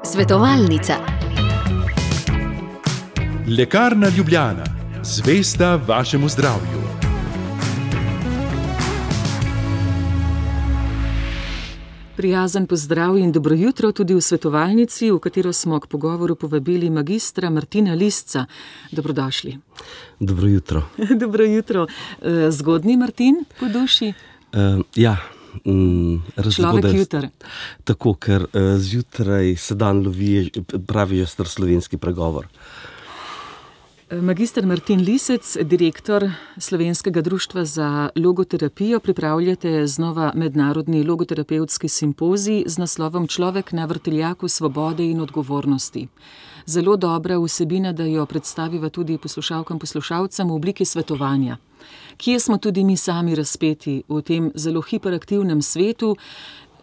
Svetovalnica. Lekarna Ljubljana, zvesta vašemu zdravju. Prijazen pozdrav in dobro jutro tudi v svetovalnici, v katero smo k pogovoru povabili magistra Martina Lisca. Dobrodošli. Dobro jutro. Dobro jutro. Zgodnji Martin po duši? Človek jutr. Tako, ker zjutraj se dan lovi, pravi star slovenski pregovor. Magister Martin Lisec, direktor Slovenskega društva za logoterapijo, pripravljate znova mednarodni logoterapevtski simpozij z naslovom Človek na vrtiljaku svobode in odgovornosti. Zelo dobra vsebina, da jo predstaviva tudi poslušalkam, poslušalcem v obliki svetovanja. Kje smo tudi mi sami razpeti v tem zelo hiperaktivnem svetu?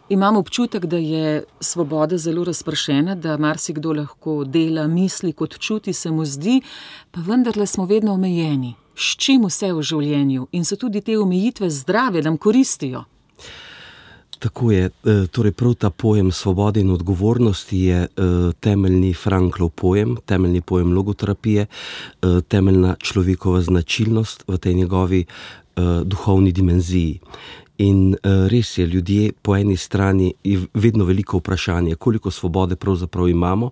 Imam občutek, da je svoboda zelo razpršena, da marsikdo lahko dela, misli, kot čuti, se mu zdi, pa vendarle smo vedno omejeni. S čim vse v življenju? In so tudi te omejitve zdrave, nam koristijo? Tako je. Torej prav ta pojem svobode in odgovornosti je temeljni Franklov pojem, temeljni pojem logoterapije, temeljna človekova značilnost v tej njegovi duhovni dimenziji. In res je, ljudje po eni strani je vedno veliko vprašanje, koliko svobode pravzaprav imamo,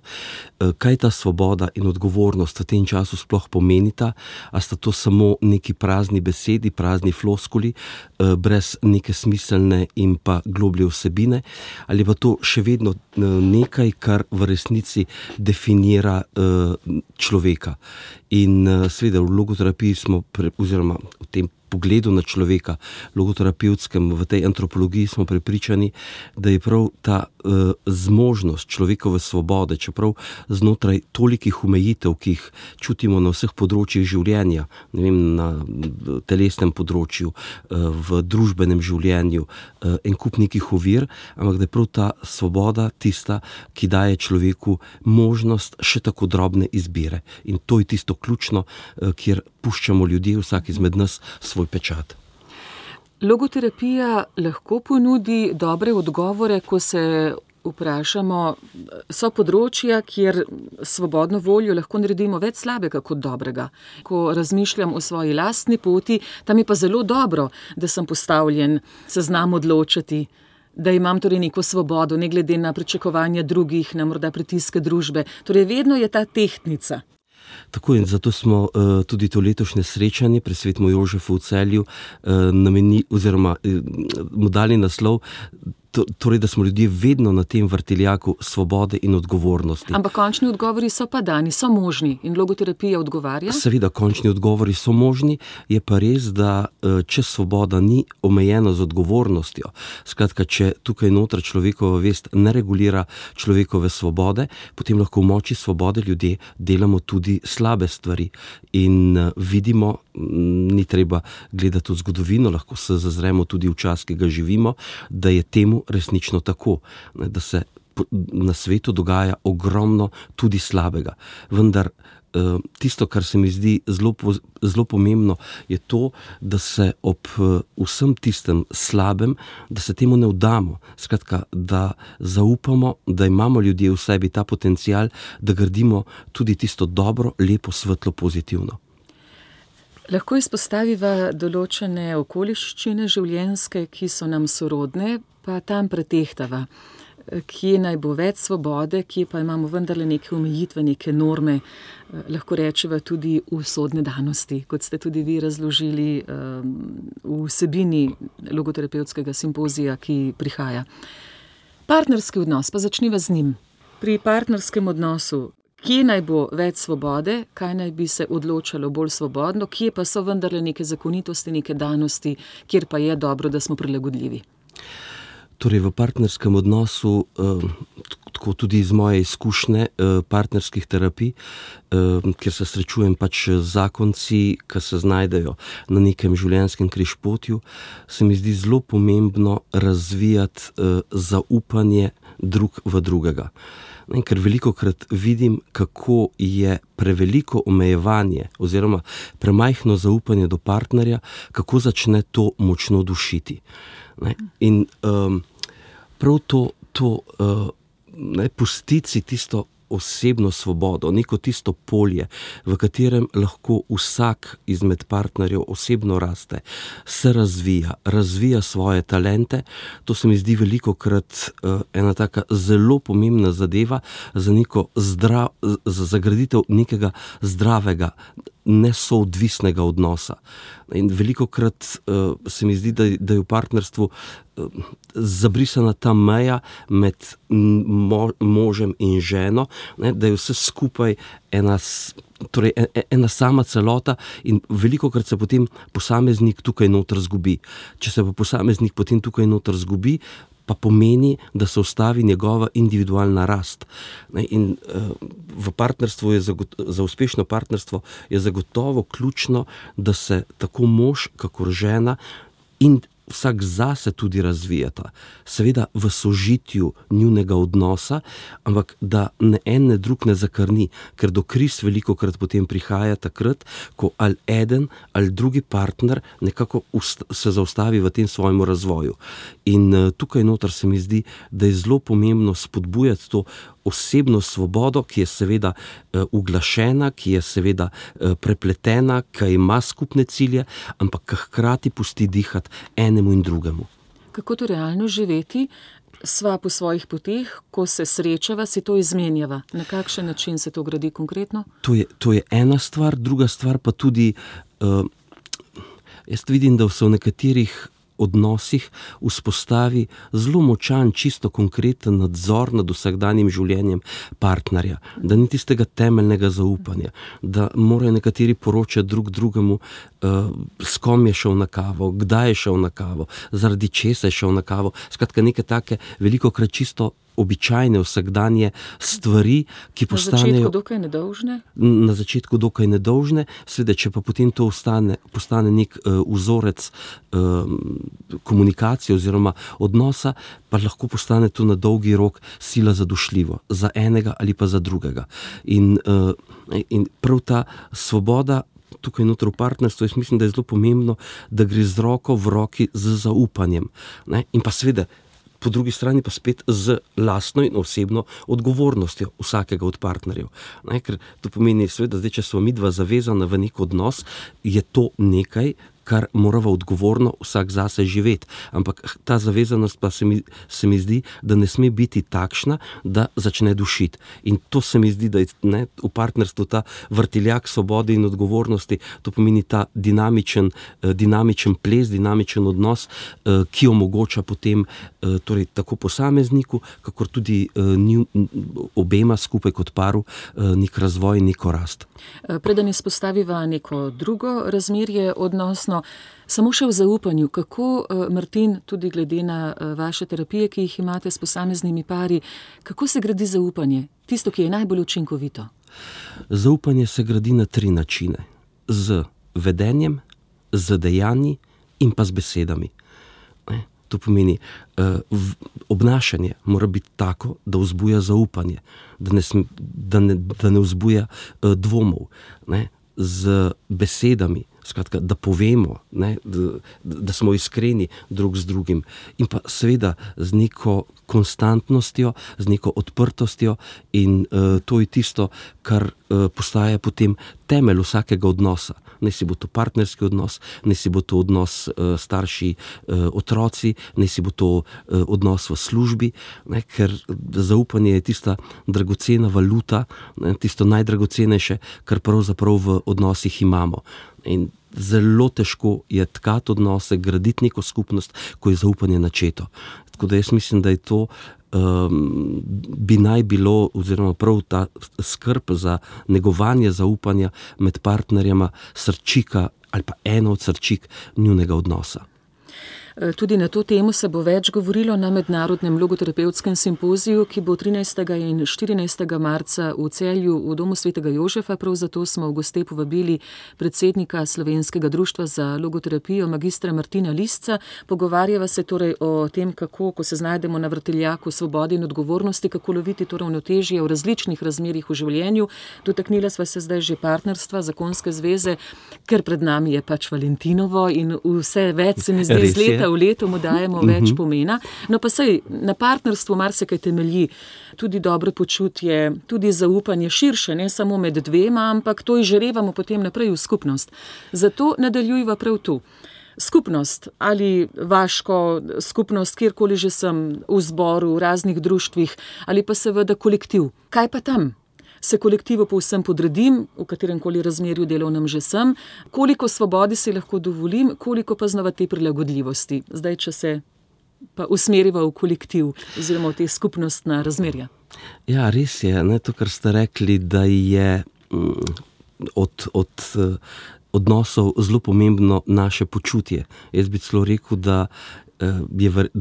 kaj ta svoboda in odgovornost v tem času sploh pomenita, a sta to samo neki prazni besedi, prazni floskuli, brez neke smiselne in pa globlje vsebine, ali pa to še vedno nekaj, kar v resnici definira človeka. In seveda v logoterapiji smo, oziroma v tem pogledu na človeka, logoterapevtskem, v tej antropologiji smo prepričani, da je prav ta zmožnost človekove svobode, čeprav znotraj tolikih omejitev, ki jih čutimo na vseh področjih življenja, ne vem, na telesnem področju, v družbenem življenju, en kup nekih ovir, ampak da je prav ta svoboda tista, ki daje človeku možnost še tako drobne izbire. In to je tisto ključno, kjer puščamo ljudje, vsak izmed nas, svoj pečat. Logoterapija lahko ponudi dobre odgovore, ko se vprašamo, so področja, kjer svobodno voljo lahko naredimo več slabega kot dobrega. Ko razmišljam o svoji lastni poti, tam je pa zelo dobro, da sem postavljen, se znam odločati, da imam torej neko svobodo, ne glede na pričakovanja drugih, na morda pritiske družbe. Torej vedno je ta tehtnica. Tako, in zato smo tudi to letošnje srečanje pri Svetem Jožefu v Celju namenili, oziroma mu dali naslov, torej, da smo ljudje vedno na tem vrtiljaku svobode in odgovornosti. Ampak končni odgovori so pa dani, so možni in logoterapija odgovarja? Seveda, končni odgovori so možni, je pa res, da če svoboda ni omejena z odgovornostjo, skratka, če tukaj noter človekova vest ne regulira človekove svobode, potem lahko v moči svobode ljudje delamo tudi slabe stvari. In vidimo, ni treba gledati v zgodovino, lahko se zazremo tudi v čas, ki ga živimo, da je temu resnično tako, da se na svetu dogaja ogromno tudi slabega. Vendar tisto, kar se mi zdi zelo pomembno, je to, da se ob vsem tistem slabem, da se temu ne vdamo. Skratka, da zaupamo, da imamo ljudje v sebi ta potencial, da gradimo tudi tisto dobro, lepo, svetlo, pozitivno. Lahko izpostaviva določene okoliščine življenjske, ki so nam sorodne, pa tam pretehtava. Kje naj bo več svobode, kje pa imamo vendarle neke omejitve, neke norme, lahko rečeva tudi usodne danosti, kot ste tudi vi razložili v vsebini logoterapevtskega simpozija, ki prihaja. Partnerski odnos, pa začniva z njim. Pri partnerskem odnosu, kje naj bo več svobode, kaj naj bi se odločalo bolj svobodno, kje pa so vendarle neke zakonitosti, neke danosti, kjer pa je dobro, da smo prilagodljivi? Torej v partnerskem odnosu, tako tudi iz moje izkušnje partnerskih terapij, kjer se srečujem pač z zakonci, ki se znajdejo na nekem življenjskem križpotju, se mi zdi zelo pomembno razvijati zaupanje drug v drugega. Ker velikokrat vidim, kako je preveliko omejevanje oziroma premajhno zaupanje do partnerja, kako začne to močno dušiti. In prav to pustiti si tisto osebno svobodo, neko tisto polje, v katerem lahko vsak izmed partnerjev osebno raste, se razvija svoje talente. To se mi zdi velikokrat ena taka zelo pomembna zadeva za zagraditev nekega zdravega, nesoodvisnega odnosa. In velikokrat se mi zdi, da je v partnerstvu zabrisana ta meja med možem in ženo, da je vse skupaj ena sama celota in velikokrat se potem posameznik tukaj noter zgubi. Če se pa posameznik potem tukaj noter zgubi, pa pomeni, da se ustavi njegova individualna rast. In v partnerstvu za uspešno partnerstvo je zagotovo ključno, da se tako mož kakor žena in vsak zase tudi razvijata. Seveda v sožitju njunega odnosa, ampak da ne en ne drug ne zakrni, ker do kriz velikokrat potem prihaja takrat, ko ali eden ali drugi partner nekako se zaustavi v tem svojem razvoju. In tukaj noter se mi zdi, da je zelo pomembno spodbujati to osebno svobodo, ki je seveda uglašena, ki je seveda prepletena, ki ima skupne cilje, ampak hkrati pusti dihati enemu in drugemu. Kako to realno živeti? Sva po svojih poteh, ko se srečava, si to izmenjava. Na kakšen način se to gradi konkretno? To je ena stvar, druga stvar pa tudi, jaz vidim, da se v nekaterih odnosih vzpostavi zelo močan, čisto konkreten nadzor nad vsakdanjim življenjem partnerja, da ni tistega temeljnega zaupanja, da morajo nekateri poročati drug drugemu, s kom je šel na kavo, kdaj je šel na kavo, zaradi česa je šel na kavo. Skratka, neke take velikokrat čisto običajne vsakdanje stvari, ki postanejo... Na začetku dokaj nedolžne? Na začetku dokaj nedolžne, seveda, če pa potem to postane nek vzorec komunikacije oziroma odnosa, pa lahko postane to na dolgi rok sila zadošljivo, za enega ali pa za drugega. In prav ta svoboda tukaj noter v partnerstvu, jaz mislim, da je zelo pomembno, da gre z roko v roki z zaupanjem. In pa seveda, po drugi strani pa spet z lastno in osebno odgovornostjo vsakega od partnerjev. Ker to pomeni, seveda, zdaj, če smo midva zavezana v nek odnos, je to nekaj, kar morava odgovorno vsak zase živeti. Ampak ta zavezanost pa se mi zdi, da ne sme biti takšna, da začne dušiti. In to se mi zdi, da je v partnerstvu ta vrtiljak svobode in odgovornosti, to pomeni ta dinamičen ples, dinamičen odnos, ki omogoča potem torej tako posamezniku, kakor tudi obema skupaj kot paru nek razvoj, neko rast. Preden izpostaviva neko drugo razmerje odnosno, samo še v zaupanju, kako, Martin, tudi glede na vaše terapije, ki jih imate s posameznimi pari, kako se gradi zaupanje? Tisto, ki je najbolj učinkovito. Zaupanje se gradi na 3 načine. Z vedenjem, z dejanji in pa z besedami. To pomeni, obnašanje mora biti tako, da vzbuja zaupanje, da ne vzbuja dvomov. Z besedami, skratka, da povemo, da smo iskreni drug z drugim. In pa seveda z neko konstantnostjo, z neko odprtostjo in to je tisto, kar postaja potem temelj vsakega odnosa. Naj si bo to partnerski odnos, naj si bo to odnos starši, otroci, naj si bo to odnos v službi, ker zaupanje je tista dragocena valuta, tisto najdragocenejše, kar pravzaprav v odnosih imamo. In zelo težko je tkati odnose, graditi neko skupnost, ko je zaupanje načeto. Tako da jaz mislim, da je to bi naj bilo, oziroma prav ta skrb za negovanje zaupanja med partnerjema srčika ali pa ena od srčik njunega odnosa. Tudi na to temo se bo več govorilo na mednarodnem logoterapevtskem simpoziju, ki bo 13. in 14. marca v Celju v Domu svetega Jožefa. Prav zato smo v goste povabili predsednika Slovenskega društva za logoterapijo, magistra Martina Lisca. Pogovarjava se torej o tem, kako, ko se znajdemo na vrtiljaku svobode in odgovornosti, kako loviti to ravnotežje v različnih razmerjih v življenju. Dotaknila sva se zdaj že partnerstva, zakonske zveze, ker pred nami je pač Valentinovo in vse več se mi zdi z leta enkrat v letu mu dajemo več pomena. No pa sej, na partnerstvu marsikaj temelji, tudi dobro počutje, tudi zaupanje širše, ne samo med dvema, ampak to izžarevamo potem naprej v skupnost. Zato nadaljujva prav tu. Skupnost ali vaško skupnost, kjerkoli že sem, v zboru, v raznih društvih, ali pa seveda kolektiv. Kaj pa tam? Se kolektivu povsem podredim, v kateremkoli razmerju delovnem že sem, koliko svobodi si lahko dovolim, koliko pa znova te prilagodljivosti. Zdaj, če se pa usmeriva v kolektiv oziroma v te skupnostna razmerja. Ja, res je, ne, to, kar ste rekli, da je od odnosov zelo pomembno naše počutje. Jaz bi celo rekel, da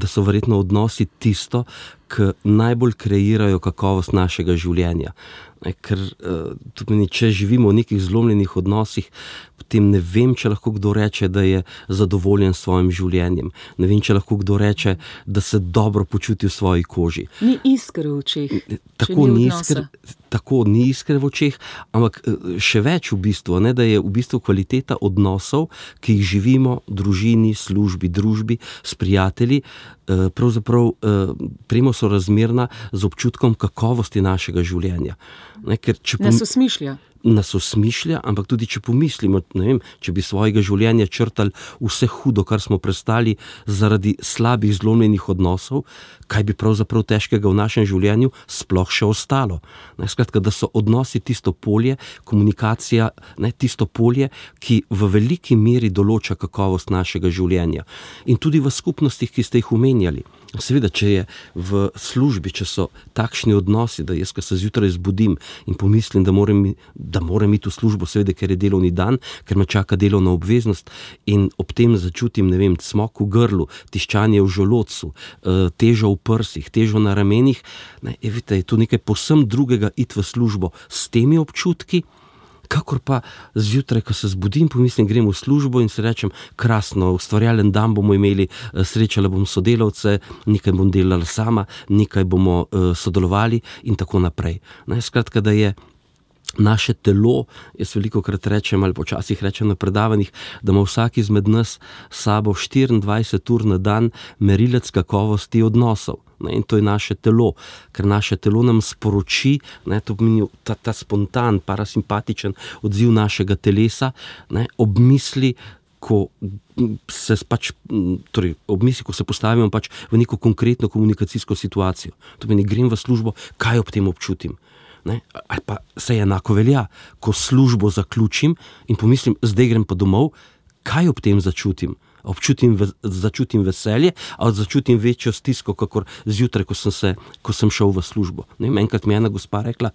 so verjetno odnosi tisto, ki najbolj kreirajo kakovost našega življenja. Ker to pomeni, če živimo v nekih zlomljenih odnosih, potem ne vem, če lahko kdo reče, da je zadovoljen s svojim življenjem. Ne vem, če lahko kdo reče, da se dobro počuti v svoji koži. Ni iskre v očeh. Tako ni iskre v očeh, ampak še več v bistvu, ne, da je v bistvu kvaliteta odnosov, ki jih živimo v družini, službi, družbi, s prijatelji, pravzaprav premo sorazmerna z občutkom kakovosti našega življenja. Ne, ker nas osmišlja, ampak tudi če pomislimo, ne vem, če bi svojega življenja črtali vse hudo, kar smo prestali zaradi slabih zlomljenih odnosov, kaj bi pravzaprav težkega v našem življenju sploh še ostalo. Ne, skratka, da so odnosi tisto polje, komunikacija, ne, tisto polje, ki v veliki meri določa kakovost našega življenja. In tudi v skupnostih, ki ste jih omenjali. Seveda, če je v službi, če so takšni odnosi, da jaz, ko se zjutraj zbudim in pomislim, da moram iti v službo, seveda, ker je delovni dan, ker me čaka delovna obveznost in ob tem začutim, ne vem, cmok v grlu, tiščanje v želodcu, težo v prsih, težo na ramenih, ne, vidite, je to nekaj povsem drugega iti v službo s temi občutki, kakor pa zjutraj, ko se zbudim, pomislim, grem v službo in si rečem, krasno, ustvarjalen dan bomo imeli, srečala bom sodelavce, nekaj bom delala sama, nekaj bomo sodelovali in tako naprej. Ne, skratka, da je naše telo, jaz velikokrat rečem ali počasih rečem na predavanjih, da ima vsak izmed nas s sabo 24 ur na dan merilec kakovosti odnosov. Ne, in to je naše telo, ker naše telo nam sporoči, ne, to pomeni ta spontan, parasimpatičen odziv našega telesa, ne, ob misli, ko se postavimo pač v neko konkretno komunikacijsko situacijo. To pomeni, grem v službo, kaj ob tem občutim. Ne? Ali pa se enako velja, ko službo zaključim in pomislim, zdaj grem pa domov, kaj ob tem začutim? Začutim veselje, ali začutim večjo stisko, kakor zjutraj, ko sem šel v službo. Ne, enkrat mi je ena gospa rekla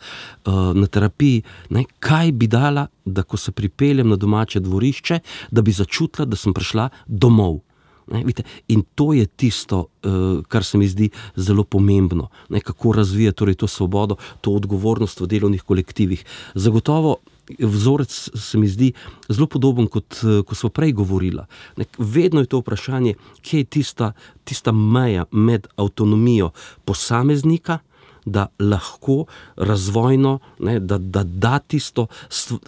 na terapiji, ne, kaj bi dala, da ko se pripeljem na domače dvorišče, da bi začutila, da sem prišla domov. Ne, vidite, in to je tisto, kar se mi zdi zelo pomembno. Ne, kako razvija torej to svobodo, to odgovornost v delovnih kolektivih. Zagotovo vzorec se mi zdi zelo podoben, kot ko smo prej govorila. Vedno je to vprašanje, kje je tista meja med avtonomijo posameznika, da lahko razvojno, ne, da tisto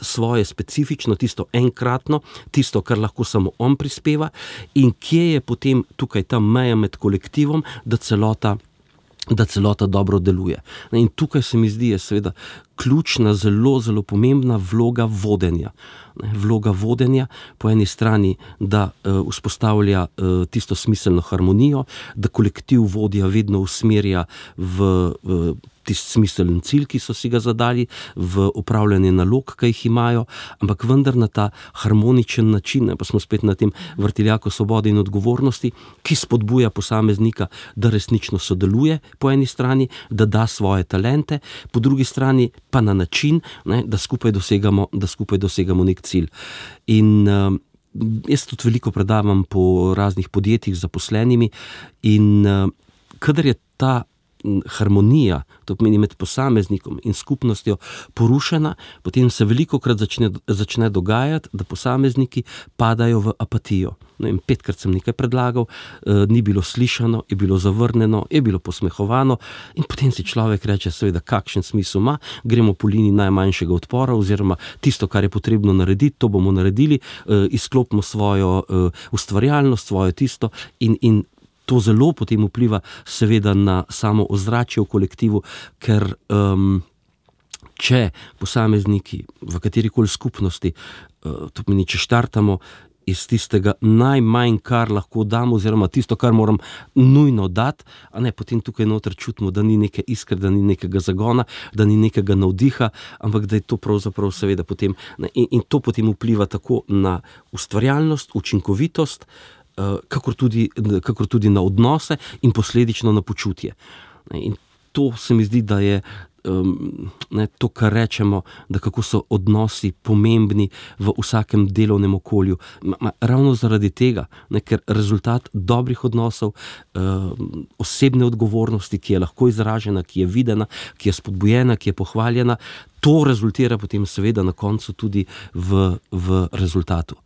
svoje specifično, tisto enkratno, tisto, kar lahko samo on prispeva, in kje je potem tukaj ta meja med kolektivom, da celota dobro deluje. In tukaj se mi zdi, je seveda ključna, zelo, zelo pomembna vloga vodenja. Vloga vodenja po eni strani, da vzpostavlja tisto smiselno harmonijo, da kolektiv vodja vedno usmerja v tisti smiseln cilj, ki so si ga zadali, v upravljanje nalog, ki jih imajo, ampak vendar na ta harmoničen način, pa smo spet na tem vrtiljaku svobode in odgovornosti, ki spodbuja posameznika, da resnično sodeluje po eni strani, da da svoje talente, po drugi strani pa na način, ne, da skupaj dosegamo nek cilj. In jaz tudi veliko predavam po raznih podjetjih z zaposlenimi in kadar je ta harmonija, to pomeni med posameznikom in skupnostjo porušena, potem se velikokrat začne dogajati, da posamezniki padajo v apatijo. 5krat sem nekaj predlagal, ni bilo slišano, je bilo zavrnjeno, je bilo posmehovano in potem si človek reče, seveda, kakšen smisel ima, gremo po liniji najmanjšega odpora oziroma tisto, kar je potrebno narediti, to bomo naredili, izklopimo svojo ustvarjalnost, svojo tisto in to zelo potem vpliva seveda na samo ozračje v kolektivu, ker če posamezniki v katerikoli skupnosti, to pomeni, če štartamo iz tistega najmanj, kar lahko damo, oziroma tisto, kar moram nujno dati, potem tukaj noter čutimo, da ni neke iskre, da ni nekega zagona, da ni nekega navdiha, ampak da je to pravzaprav seveda potem, in to potem vpliva tako na ustvarjalnost, učinkovitost, kakor tudi na odnose in posledično na počutje. In to se mi zdi, da je to, kar rečemo, da kako so odnosi pomembni v vsakem delovnem okolju. Ravno zaradi tega, ker rezultat dobrih odnosov, osebne odgovornosti, ki je lahko izražena, ki je videna, ki je spodbujena, ki je pohvaljena, to rezultira potem seveda na koncu tudi v rezultatu.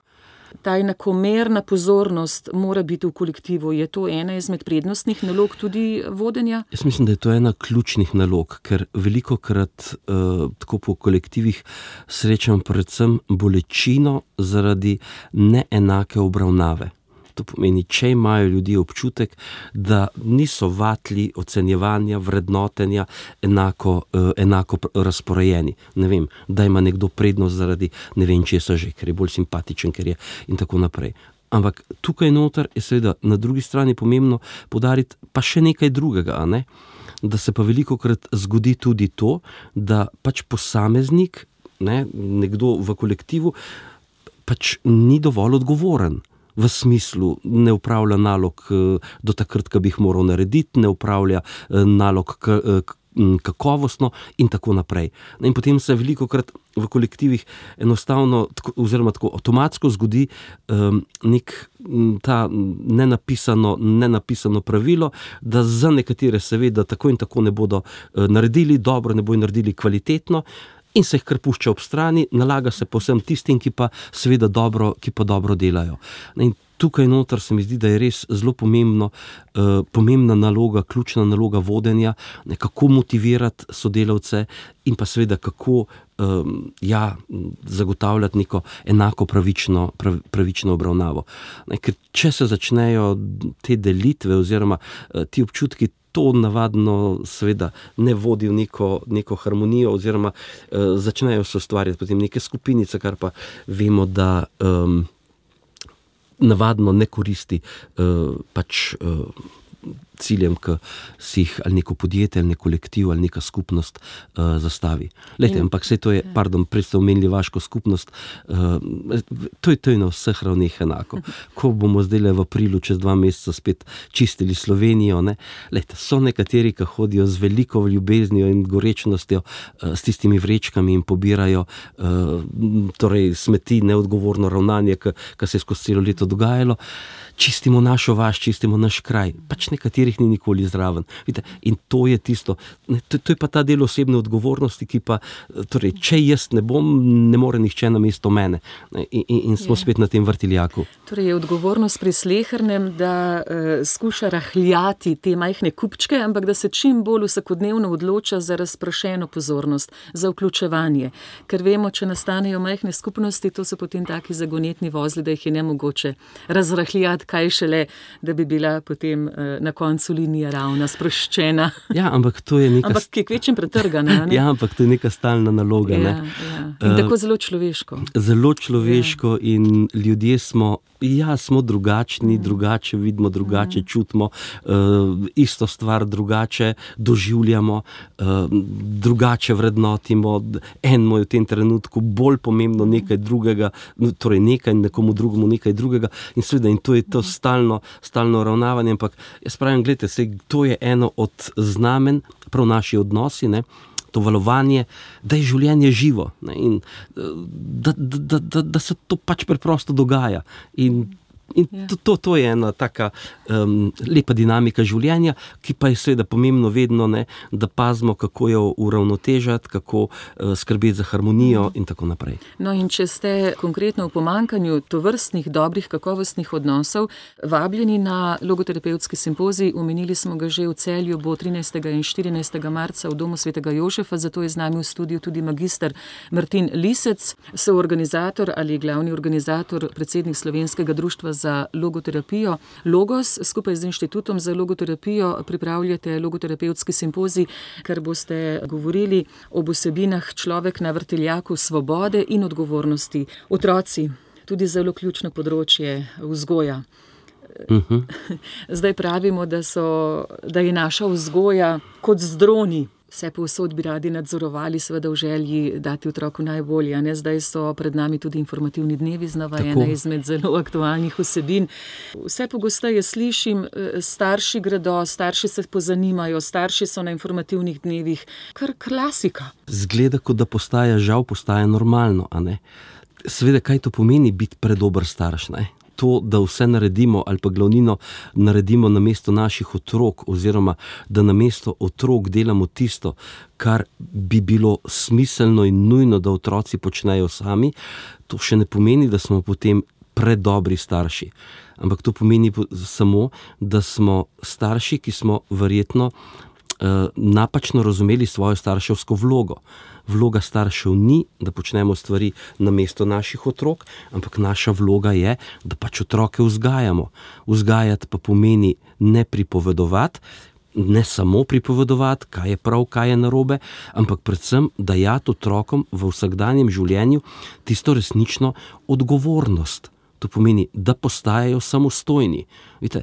Ta enakomerna pozornost mora biti v kolektivu. Je to ena izmed prednostnih nalog tudi vodenja? Jaz mislim, da je to ena ključnih nalog, ker velikokrat tako po kolektivih srečam predvsem bolečino zaradi neenake obravnave. To pomeni, če imajo ljudje občutek, da niso vatli ocenjevanja, vrednotenja enako razporejeni. Ne vem, da ima nekdo prednost zaradi ne vem česa že, ker je bolj simpatičen, ker je in tako naprej. Ampak tukaj noter je seveda na drugi strani pomembno poudariti pa še nekaj drugega, da se pa velikokrat zgodi tudi to, da pač posameznik, nekdo v kolektivu, pač ni dovolj odgovoren. V smislu, ne upravlja nalog do takrat, ko bi jih moral narediti, ne upravlja nalog kakovostno in tako naprej. In potem se velikokrat v kolektivih enostavno oziroma tako avtomatsko zgodi ta nenapisano pravilo, da za nekatere seveda tako in tako ne bodo naredili dobro, ne bodo naredili kvalitetno, in se jih kar pušča ob strani, nalaga se povsem tistim, ki pa seveda dobro delajo. In tukaj noter se mi zdi, da je res zelo pomembna naloga, ključna naloga vodenja, kako motivirati sodelavce in pa seveda kako zagotavljati neko enako pravično obravnavo. Ker če se začnejo te delitve oziroma ti občutki, to navadno seveda ne vodi v neko harmonijo oziroma začnejo se ustvarjati potem neke skupinice, kar pa vemo, da navadno ne koristi pač ciljem, ki si jih ali neko podjetje, ali nek kolektiv, ali neka skupnost zastavi. Ampak saj to je, prej ste omenili vaško skupnost, to je na vseh ravneh enako. Ko bomo zdaj v aprilu čez 2 meseca spet čistili Slovenijo, so nekateri, ki hodijo z veliko ljubeznijo in gorečnostjo s tistimi vrečkami in pobirajo torej smeti, neodgovorno ravnanje, ki se je skozi celo leto dogajalo, čistimo našo vas, čistimo naš kraj. Pač nekaterih ni nikoli zraven. Vidite, in to je tisto, to je pa ta del osebne odgovornosti, ki pa, torej, če jaz ne bom, ne more nihče namesto mene. In smo spet na tem vrtiljaku. Torej je odgovornost pri slehernem, da skuša rahljati te majhne kupčke, ampak da se čim bolj vsakodnevno odloča za razprošeno pozornost, za vključevanje. Ker vemo, če nastanejo majhne skupnosti, to so potem taki zagonetni vozli, da jih je nemogoče razrahljati, kaj šele, da bi bila potem na koncu linija ravna, sproščena. Ja, ampak to je neka... Ampak ki je kvečem pretrgana, ne? Ja, ampak to je neka stalna naloga, ne? In tako zelo človeško. Zelo človeško in ljudje smo drugačni, drugače vidimo, drugače čutimo, isto stvar drugače doživljamo, drugače vrednotimo. Enemu je v tem trenutku bolj pomembno nekaj drugega, torej nekaj, nekomu drugemu nekaj drugega in seveda, in to je to stalno ravnavanje, ampak jaz pravim, gledajte, to je eno od znamen, prav naši odnosi, to valovanje, da je življenje živo, in da se to pač preprosto dogaja. In In to je ena taka lepa dinamika življenja, ki pa je seveda pomembno vedno, ne, da pazimo, kako jo uravnotežiti, kako skrbeti za harmonijo in tako naprej. No, in če ste konkretno v pomanjkanju tovrstnih dobrih, kakovostnih odnosov vabljeni na logoterapevtski simpozij, omenili smo ga že v Celju, bo 13. in 14. marca v Domu svetega Jožefa, zato je z nami v studiu tudi magister Martin Lisec, soorganizator ali glavni organizator, predsednik Slovenskega društva za logoterapijo Logos. Skupaj z Inštitutom za logoterapijo pripravljate logoterapevtski simpozij, ker boste govorili o vsebinah človek na vrtiljaku svobode in odgovornosti. Otroci, tudi zelo ključno področje vzgoja. Zdaj pravimo, da je naša vzgoja kot z droni. Vse povsod bi radi nadzorovali, seveda v želji dati otroku najbolje. Ne? Zdaj so pred nami tudi informativni dnevi, znova ena izmed zelo aktualnih vsebin. Vse pogosteje slišim, starši gredo, starši se pozanimajo, starši so na informativnih dnevih. Kar klasika. Zgleda, kot da postaja normalno, a ne? Seveda, kaj to pomeni biti predober starš, ne? To, da vse naredimo ali pa glavnino naredimo namesto naših otrok oziroma da namesto otrok delamo tisto, kar bi bilo smiselno in nujno, da otroci počnejo sami, to še ne pomeni, da smo potem predobri starši. Ampak to pomeni samo, da smo starši, ki smo verjetno napačno razumeli svojo starševsko vlogo. Vloga staršev ni, da počnemo stvari namesto naših otrok, ampak naša vloga je, da pač otroke vzgajamo. Vzgajati pa pomeni ne pripovedovati, ne samo pripovedovati, kaj je prav, kaj je narobe, ampak predvsem dajati otrokom v vsakdanjem življenju tisto resnično odgovornost. To pomeni, da postajajo samostojni. Vidite,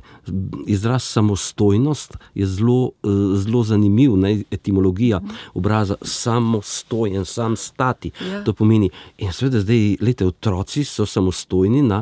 izraz samostojnost je zelo zanimiv, ne, etimologija obraza samostojen, sam stati. Ja. To pomeni, in seveda zdaj, otroci so samostojni na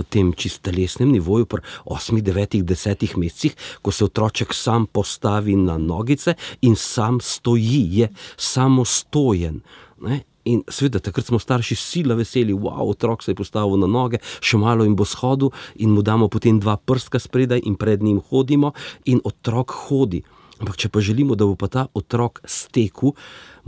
tem čist telesnem nivoju pri 8, 9, 10 mesecih, ko se otroček sam postavi na nogice in sam stoji, je samostojen. Ne? In seveda, takrat smo starši sila veseli, otrok se je postavil na noge, še malo in bo shodil in mu damo potem 2 prstka spredaj in pred njim hodimo in otrok hodi. Ampak če pa želimo, da bo pa ta otrok stekel,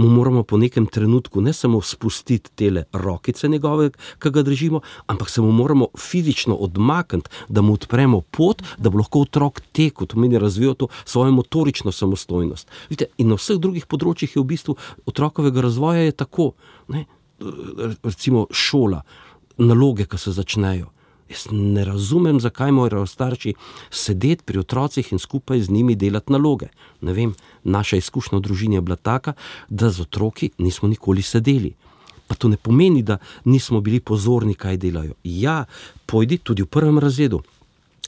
mu moramo po nekem trenutku ne samo spustiti tele rokice njegove, ki ga držimo, ampak se mu moramo fizično odmakniti, da mu odpremo pot, da bo lahko otrok tekel, to meni razvijal to svojo motorično samostojnost. Vidite, in na vseh drugih področjih je v bistvu otrokovega razvoja je tako, ne? Recimo šola, naloge, ki se začnejo. Jaz ne razumem, zakaj morajo starši sedeti pri otrocih in skupaj z njimi delati naloge. Ne vem, naša izkušnja v družini je bila taka, da z otroki nismo nikoli sedeli. Pa to ne pomeni, da nismo bili pozorni, kaj delajo. Ja, pojdi tudi v 1. razredu.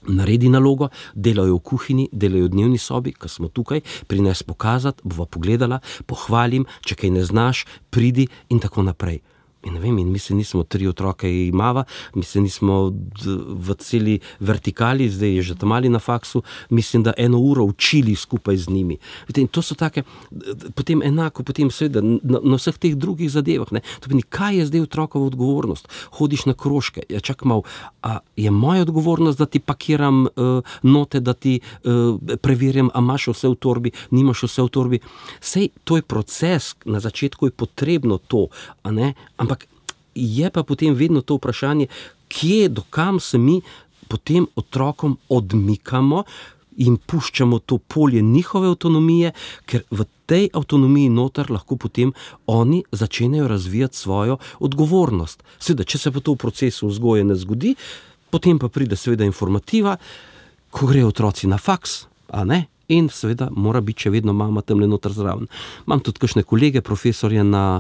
Naredi nalogo, delajo v kuhinji, delajo v dnevni sobi, ko smo tukaj, prines pokazati, bova pogledala, pohvalim, če kaj ne znaš, pridi in tako naprej. In ne vem, in mi se nismo 3 otroke imava, mi se nismo v celi vertikali, zdaj je že tam mali na faksu, mislim, da 1 uro učili skupaj z njimi. In to so take, potem enako, potem seveda na vseh teh drugih zadevah, ne. To pomeni, kaj je zdaj otrokova odgovornost? Hodiš na krožke, ja čak malo, a je moja odgovornost, da ti pakiram note, da ti preverjam, a imaš vse v torbi, nimaš vse v torbi. Sej, to je proces, na začetku je potrebno to, a ne, ampak je pa potem vedno to vprašanje, kje, dokam se mi potem otrokom odmikamo in puščamo to polje njihove avtonomije, ker v tej avtonomiji noter lahko potem oni začenjajo razvijati svojo odgovornost. Seveda, če se pa to v procesu vzgoje ne zgodi, potem pa pride seveda informativa, ko grejo otroci na faks, a ne? In seveda mora biti še vedno mama tamle noter zraven. Imam tudi kakšne kolege, profesorje na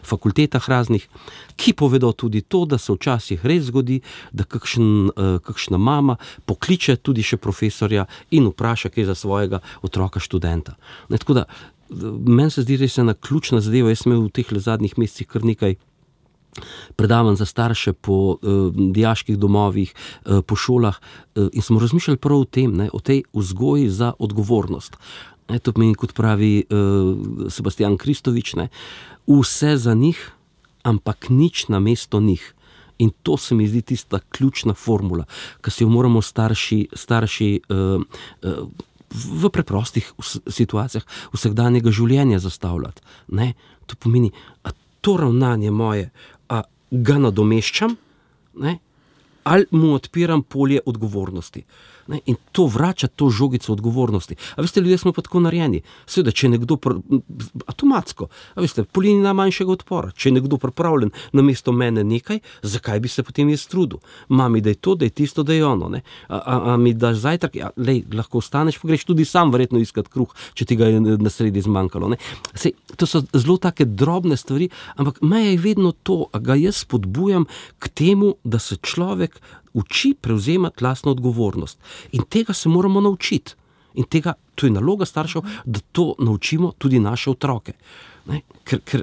fakultetah raznih, ki povedo tudi to, da se včasih res zgodi, da kakšna mama pokliče tudi še profesorja in vpraša kaj za svojega otroka študenta. Ne, tako da, meni se zdi res ena ključna zadeva, jaz sem imel v teh zadnjih mesecih kar nekaj predavanj za starše po dijaških domovih, po šolah in smo razmišljali prav o tem, ne, o tej vzgoji za odgovornost. Ne, to pomeni, kot pravi Sebastian Kristovič, ne, vse za njih, ampak nič namesto njih. In to se mi zdi tista ključna formula, ki si jo moramo starši v preprostih situacijah vsakdanjega življenja zastavljati. Ne? To pomeni, a to ravnanje moje, a ga nadomeščam, ne? Ali mu odpiram polje odgovornosti. Ne? In to vrača to žogico odgovornosti. A veste, ljudje smo pa tako narejeni. Seveda, če je nekdo avtomatsko, a veste, po liniji najmanjšega odpora, če je nekdo pripravljen namesto mene nekaj, zakaj bi se potem jaz trudil? Mami, da je to, da je tisto, da je ono. Ne? A mi daš zajtrk? Ja, lahko ostaneš, pa greš tudi sam verjetno iskat kruh, če ti ga je na sredi zmanjkalo. Ne? Sej, to so zelo take drobne stvari, ampak meja je vedno to, a ga jaz spodbujam k temu, da se človek uči prevzemati lastno odgovornost. In tega se moramo naučiti. In tega, to je naloga staršev, da to naučimo tudi naše otroke. Ne? Ker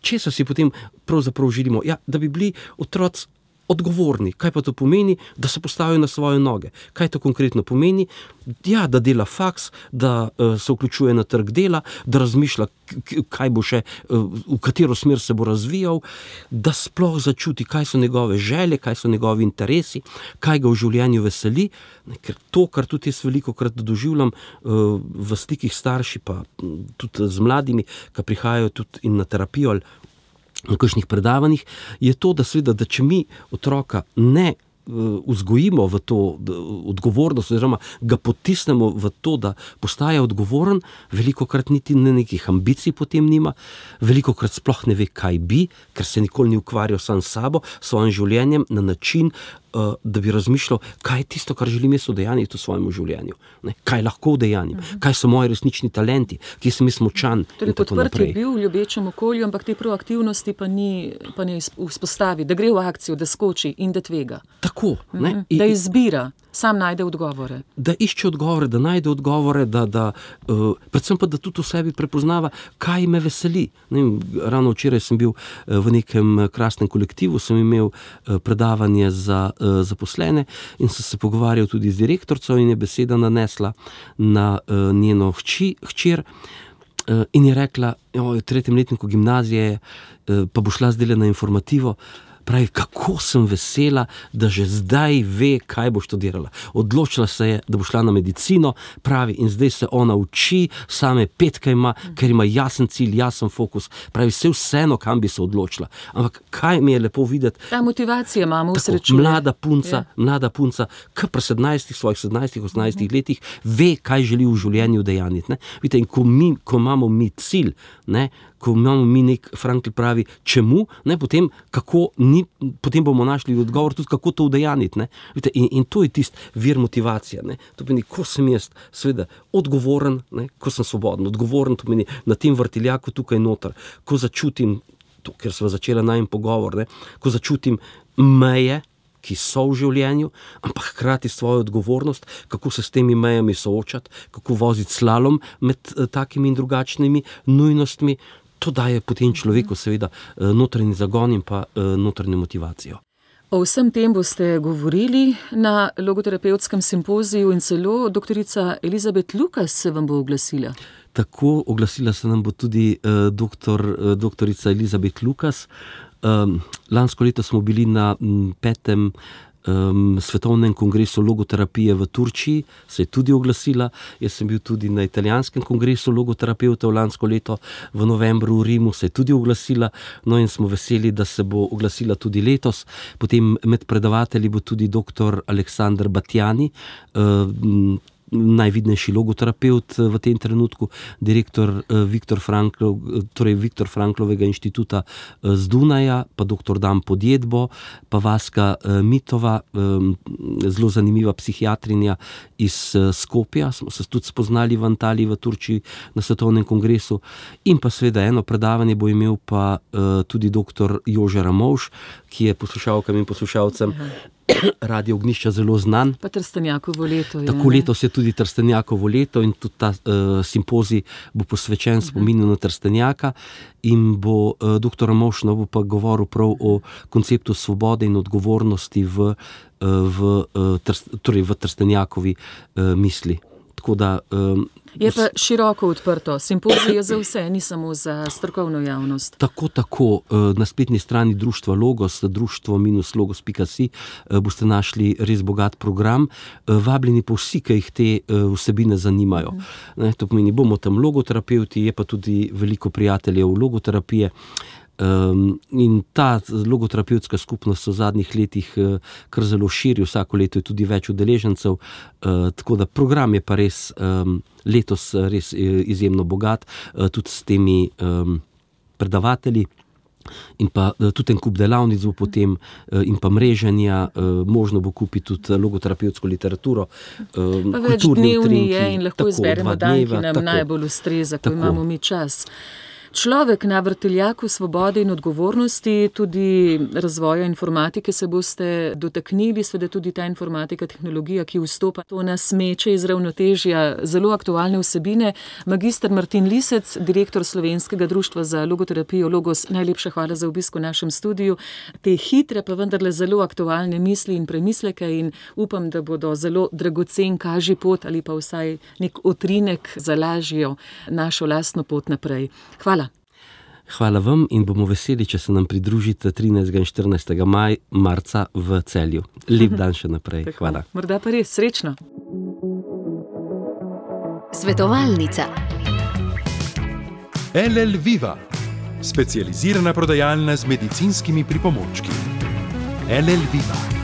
česa si potem pravzaprav želimo? Ja, da bi bili otroci odgovorni. Kaj pa to pomeni? Da se postavijo na svoje noge. Kaj to konkretno pomeni? Ja, da dela faks, da se vključuje na trg dela, da razmišlja, kaj bo še, v katero smer se bo razvijal, da sploh začuti, kaj so njegove želje, kaj so njegovi interesi, kaj ga v življenju veseli. Ker to, kar tudi jaz velikokrat doživljam v stikih starši, pa tudi z mladimi, ki prihajajo tudi in na terapijo ali na kakšnih predavanjih, je to, da seveda, da če mi otroka ne vzgojimo v to odgovornost, oziroma ga potisnemo v to, da postaja odgovoren, velikokrat niti nekih ambicij potem nima, velikokrat sploh ne ve, kaj bi, ker se nikoli ni ukvarjal sam s sabo, s svojim življenjem na način, da bi razmišljal, kaj je tisto, kar želim jaz udejanjiti v svojemu življenju. Ne? Kaj lahko udejanjim, kaj so moji resnični talenti, kje sem jaz močan in tako naprej. Torej, podprt je bil v ljubečem okolju, ampak te proaktivnosti pa ne vzpostavi, da gre v akcijo, da skoči in da tvega. Tako. Ne? Da izbira, sam najde odgovore. Da išče odgovore, da najde odgovore, predvsem pa, da tudi v sebi prepoznava, kaj me veseli. Ne, ravno včeraj sem bil v nekem krasnem kolektivu, sem imel predavanje za zaposlene in sem se pogovarjal tudi z direktorico in je beseda nanesla na njeno hčer in je rekla, v 3. letniku gimnazije pa bo šla zdaj na informativo. Pravi, kako sem vesela, da že zdaj ve, kaj bo študirala. Odločila se je, da bo šla na medicino, pravi, in zdaj se ona uči, same petke ima, ker ima jasen cilj, jasen fokus. Pravi, vseeno, kam bi se odločila. Ampak kaj mi je lepo videti? Ta motivacija imamo v srečuje. Mlada punca, ki pri 17-18 letih ve, kaj želi v življenju udejanjiti. Vidite, in ko imamo mi cilj, ne, ko imamo mi nek, Frankl pravi, čemu, ne, potem bomo našli odgovor tudi, kako to udejaniti. In to je tisti vir motivacije. Ne. To pomeni, ko sem jaz seveda odgovoren, ne, ko sem svoboden, odgovoren, to pomeni na tem vrtiljaku tukaj noter, ko začutim, to, ker sva začela najin pogovor, ne, ko začutim meje, ki so v življenju, ampak hkrati svojo odgovornost, kako se s temi mejami soočati, kako voziti slalom med takimi in drugačnimi nujnostmi. To daje potem človeku seveda notranji zagon in pa notranjo motivacijo. O vsem tem boste govorili na logoterapevtskem simpoziju in celo doktorica Elizabet Lukas se vam bo oglasila. Tako, oglasila se nam bo tudi doktorica Elizabet Lukas. Lansko leto smo bili na 5. svetovnem kongresu logoterapije v Turčiji, se je tudi oglasila. Jaz sem bil tudi na italijanskem kongresu logoterapevtov lansko leto v novembru v Rimu, se je tudi oglasila. No in smo veseli, da se bo oglasila tudi letos. Potem med predavatelji bo tudi dr. Aleksandar Batjani, najvidnejši logoterapevt v tem trenutku, direktor Viktor Franklovega inštituta z Dunaja, pa dr. Dan Podjedbo, pa Vaska Mitova, zelo zanimiva psihiatrinja iz Skopja, smo se tudi spoznali v Antaliji v Turčiji na svetovnem kongresu, in pa seveda eno predavanje bo imel pa tudi dr. Jože Ramovš, ki je poslušalkam in poslušalcem Radio Ognjišča zelo znan. Pa Trstenjakovo leto je. Tako letos je tudi Trstenjakovo leto in tudi ta simpozij bo posvečen spominu na Trstenjaka in bo dr. Ramovš bo pa govoril prav o konceptu svobode in odgovornosti v Trstenjakovi misli. Tako da, je pa široko odprto. Simpozij je za vse, ni samo za strokovno javnost. Tako. Na spletni strani društva Logos, društvo-logos.si, boste našli res bogat program. Vabljeni pa vsi, ki jih te vsebine zanimajo. To pomeni, bomo tam logoterapevti, je pa tudi veliko prijateljev logoterapije. In ta logoterapevtska skupnost se v zadnjih letih kar zelo širi, vsako leto je tudi več udeležencev, tako da program je pa res letos res izjemno bogat, tudi s temi predavatelji. In pa tudi en kup delavnic bo potem in pa mreženja, možno bo kupiti tudi logoterapevtsko literaturo, pa več dnevni je in lahko izberemo dan, ki nam najbolj ustreza, ko imamo mi čas. Človek na vrtiljaku svobode in odgovornosti, tudi razvoja informatike se boste dotaknili, seveda tudi ta informatika, tehnologija, ki vstopa, to nas meče iz ravnotežja zelo aktualne vsebine. Magister Martin Lisec, direktor Slovenskega društva za logoterapijo Logos, najlepša hvala za obisk v našem studiu. Te hitre, pa vendarle zelo aktualne misli in premisleke in upam, da bodo zelo dragocen kažipot ali pa vsaj nek utrinek za lažjo našo lastno pot naprej. Hvala. Hvala vam in bomo veseli, če se nam pridružite 13. in 14. marca v Celju. Lep dan še naprej. Hvala. Morda pa res, srečno. Svetovalnica. LL Viva, specializirana prodajalna z medicinskimi pripomočki. LL Viva.